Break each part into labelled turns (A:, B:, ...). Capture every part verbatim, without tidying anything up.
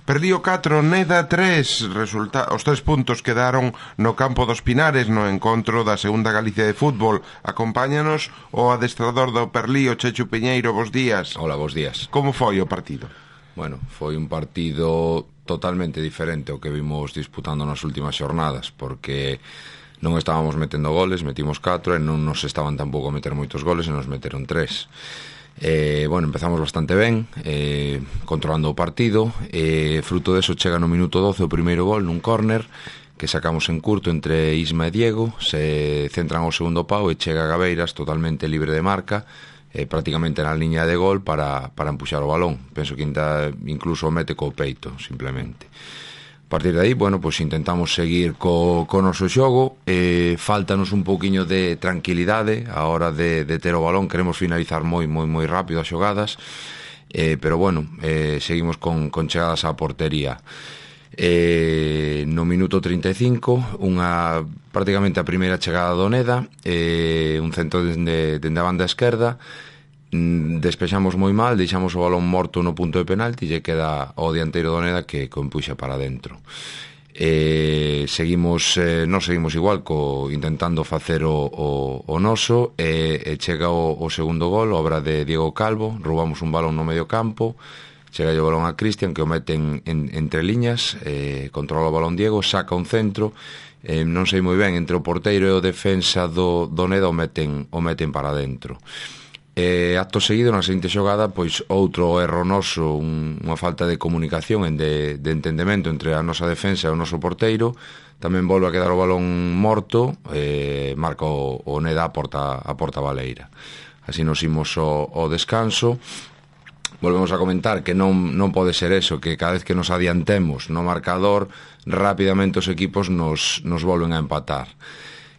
A: Perdío catro, Neda tres. Resulta... Os tres puntos quedaron no campo dos Pinares no encontro da segunda Galicia de fútbol. Acompáñanos o adestrador do Perlío, Chechu Piñeiro. Bos días.
B: Hola, bos días.
A: Como foi o partido?
B: Bueno, foi un partido totalmente diferente ao que vimos disputando nas últimas xornadas, porque non estábamos metendo goles, metimos catro e non nos estaban tampouco a meter moitos goles e nos meteron tres. Eh, bueno, empezamos bastante ben, eh, controlando o partido, e eh, fruto deso chega no minuto doce o primeiro gol nun córner que sacamos en curto entre Isma e Diego, se centran ao segundo pau e chega Gabeiras totalmente libre de marca, eh, prácticamente na liña de gol para, para empuxar o balón. Penso que inda, incluso o mete co peito, simplemente. A partir de aí, bueno, pois intentamos seguir co, co noso xogo, eh, faltanos un pouquiño de tranquilidade a hora de, de ter o balón, queremos finalizar moi, moi, moi rápido as xogadas, eh, pero bueno, eh, seguimos con, con chegadas á portería. Eh, no minuto trinta e cinco, unha, prácticamente a primeira chegada do Neda, eh, un centro dende, dende a banda esquerda, despexamos moi mal, deixamos o balón morto no punto de penalti e queda o dianteiro do Neda que empuxa para dentro. Eh, seguimos, eh, non seguimos igual co, intentando facer o, o, o noso e, e chega o, o segundo gol, obra de Diego Calvo, roubamos un balón no medio campo, chega o balón a Cristian que o mete en, en, entre liñas, eh, controla o balón Diego, saca un centro, eh, non sei moi ben, entre o porteiro e o defensa do, do Neda o meten, o meten para dentro. Eh, acto seguido, na seguinte xogada, pois outro erro noso, un, unha falta de comunicación e de, de entendemento entre a nosa defensa e o noso porteiro. Tamén volve a quedar o balón morto, eh, marca o, o Neda a porta, a porta baleira. Así nos imos o, o descanso. Volvemos a comentar que non, non pode ser eso, que cada vez que nos adiantemos no marcador, rapidamente os equipos nos, nos volven a empatar.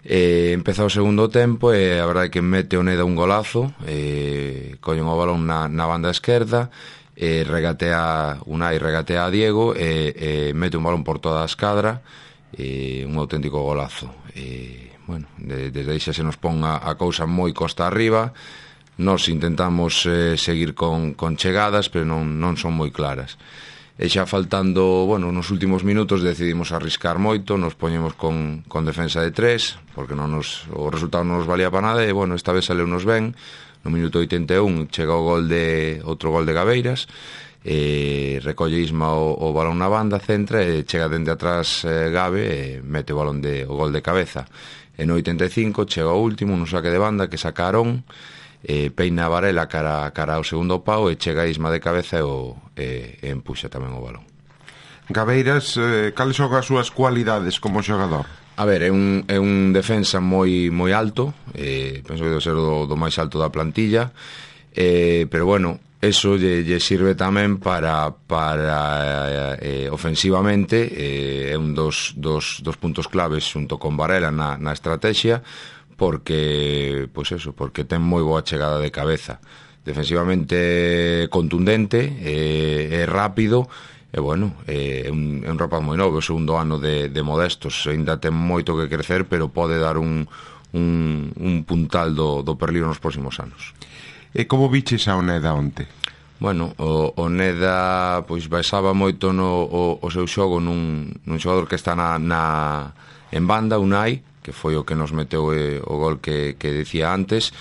B: Eh, empeza o segundo tempo e a verdade é que mete o Neda un golazo, eh, collen o balón na, na banda esquerda, eh, regatea Unai, regatea a Diego e eh, mete un balón por toda a escadra, eh, un auténtico golazo. Eh, bueno, de, desde aí xa se nos pon a, a cousa moi costa arriba. Nos intentamos eh, seguir con, con chegadas, pero non, non son moi claras. E xa faltando, bueno, nos últimos minutos decidimos arriscar moito, nos poñemos con, con defensa de tres, porque non nos, o resultado non nos valía para nada, e, bueno, esta vez saleu-nos ben. No minuto oitenta e un chega o gol de, outro gol de Gabeiras, e recolle Isma o, o balón na banda, centra, e chega dende atrás eh, Gabe, e mete o balón de, o gol de cabeza. E no oitenta e cinco chega o último, un saque de banda que saca Arón, eh, peina a Varela cara, cara ao segundo pau e chega a Isma de cabeza e, o, e, e empuxa tamén o balón.
A: Gabeiras, eh, cales son as súas cualidades como xogador?
B: A ver, é un, é un defensa moi moi alto, eh, penso que debe ser do, do máis alto da plantilla, eh, pero bueno, eso lle, lle sirve tamén para, para eh, ofensivamente, eh, é un dos, dos, dos puntos claves xunto con Varela na, na estrategia, porque, pois eso, porque ten moi boa chegada de cabeza, defensivamente contundente, é, é rápido, e bueno, é un, é un rapaz moi novo, o segundo ano de, de Modestos, ainda ten moito que crecer, pero pode dar un, un, un puntal do, do Perlío nos próximos anos.
A: E como viches a Neda onte?
B: Bueno, o, o Neda pois baixaba moito no, o, o seu xogo nun, nun xogador que está na, na en banda, Unai, que foi o que nos meteu eh, o gol que, que decía antes,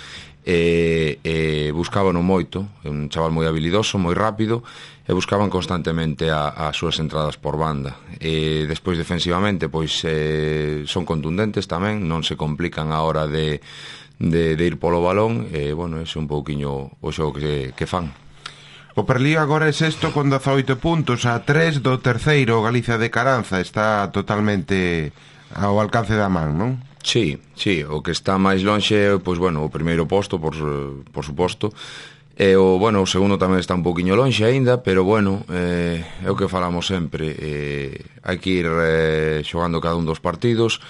B: e, e buscábano moito, un chaval moi habilidoso, moi rápido, e buscaban constantemente a, as súas entradas por banda. E despois defensivamente pois eh, son contundentes tamén, non se complican a hora de, de, de ir polo balón, e bueno, é un pouquiño o xogo que, que fan.
A: O Perlío agora é sexto con dezaoito puntos, a tres do terceiro, Galicia de Caranza, está totalmente ao alcance da man, non?
B: Sí, sí, o que está máis lonxe, pois bueno, o primeiro posto, por, por suposto, e o, bueno, o segundo tamén está un poquinho lonxe aínda, pero bueno, eh, é o que falamos sempre, eh, hai que ir eh, xogando cada un dos partidos,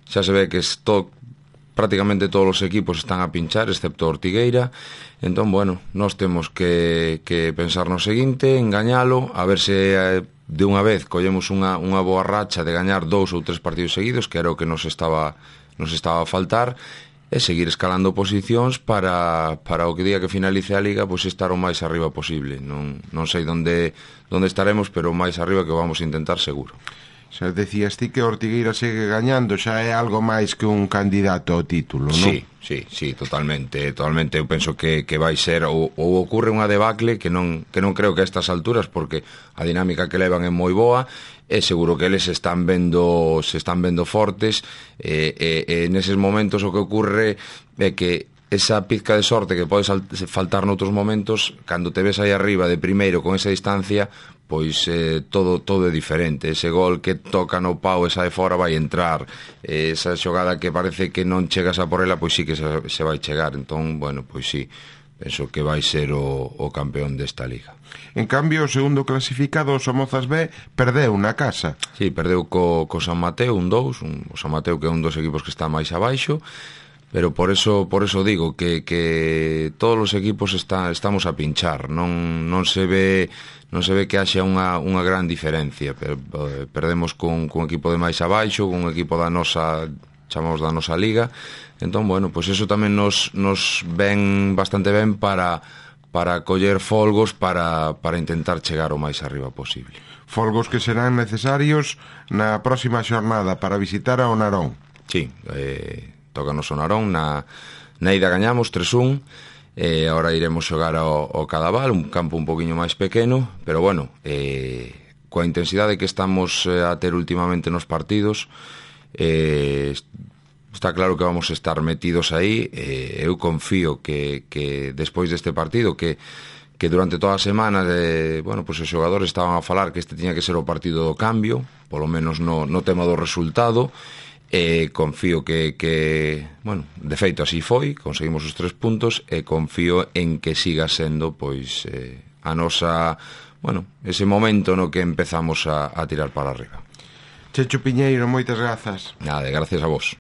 B: xa se ve que esto, prácticamente todos os equipos están a pinchar, excepto Ortigueira, entón, bueno, nós temos que, que pensar no seguinte, engañalo, a ver se eh, de unha vez collemos unha, unha boa racha de gañar dous ou tres partidos seguidos, que era o que nos estaba nos estaba a faltar, e seguir escalando posicións para, para o que día que finalice a Liga, pois estar o máis arriba posible. Non, non sei onde, onde estaremos, pero o máis arriba que vamos a intentar seguro.
A: Xa decías ti que Ortigueira segue gañando, xa é algo máis que un candidato ao título, non?
B: Sí, sí, sí, totalmente, totalmente. Eu penso que, que vai ser ou, ou ocorre unha debacle que non, que non creo que a estas alturas, porque a dinámica que levan é moi boa, e seguro que eles están vendo se están vendo fortes, e, e, e neses momentos o que ocorre é que esa pizca de sorte que pode faltar noutros momentos, cando te ves aí arriba de primeiro con esa distancia, pois eh, todo todo é diferente. Ese gol que toca no pau e sae fora vai entrar, eh, esa xogada que parece que non chegas a por ela, pois sí que se, se vai chegar. Entón, bueno, pois sí, penso que vai ser o, o campeón desta liga.
A: En cambio, o segundo clasificado, o Somozas B, perdeu na casa.
B: Sí, perdeu co, co San Mateo un dous, un, o San Mateo que é un dos equipos que está máis abaixo, pero por eso por eso digo que, que todos os equipos está, estamos a pinchar, non, non se ve non se ve que haxa unha, unha gran diferencia. Per, perdemos con, con un equipo de máis abaixo, con un equipo da nosa, chamamos da nosa liga. Entón, bueno, pois eso tamén nos, nos ven bastante ben para, para coller folgos para, para intentar chegar o máis arriba posible.
A: Folgos que serán necesarios na próxima xornada para visitar a Onarón.
B: Sí, eh tócanos o Narón, na, na ida gañamos tres un, e agora iremos xogar ao, ao Cadaval, un campo un poquinho máis pequeno, pero bueno, eh, coa intensidade que estamos eh, a ter últimamente nos partidos, eh, está claro que vamos a estar metidos aí. eh, eu confío que, que despois deste partido, que que durante toda a semana de, bueno, pues os xogadores estaban a falar que este tiña que ser o partido do cambio, polo menos no, no tema do resultado. E confío que, que, bueno, de feito así foi, conseguimos os tres puntos, e confío en que siga sendo, pois, eh, a nosa, bueno, ese momento no que empezamos a, a tirar para arriba.
A: Checho Piñeiro, moitas grazas.
B: Nada, gracias a vos.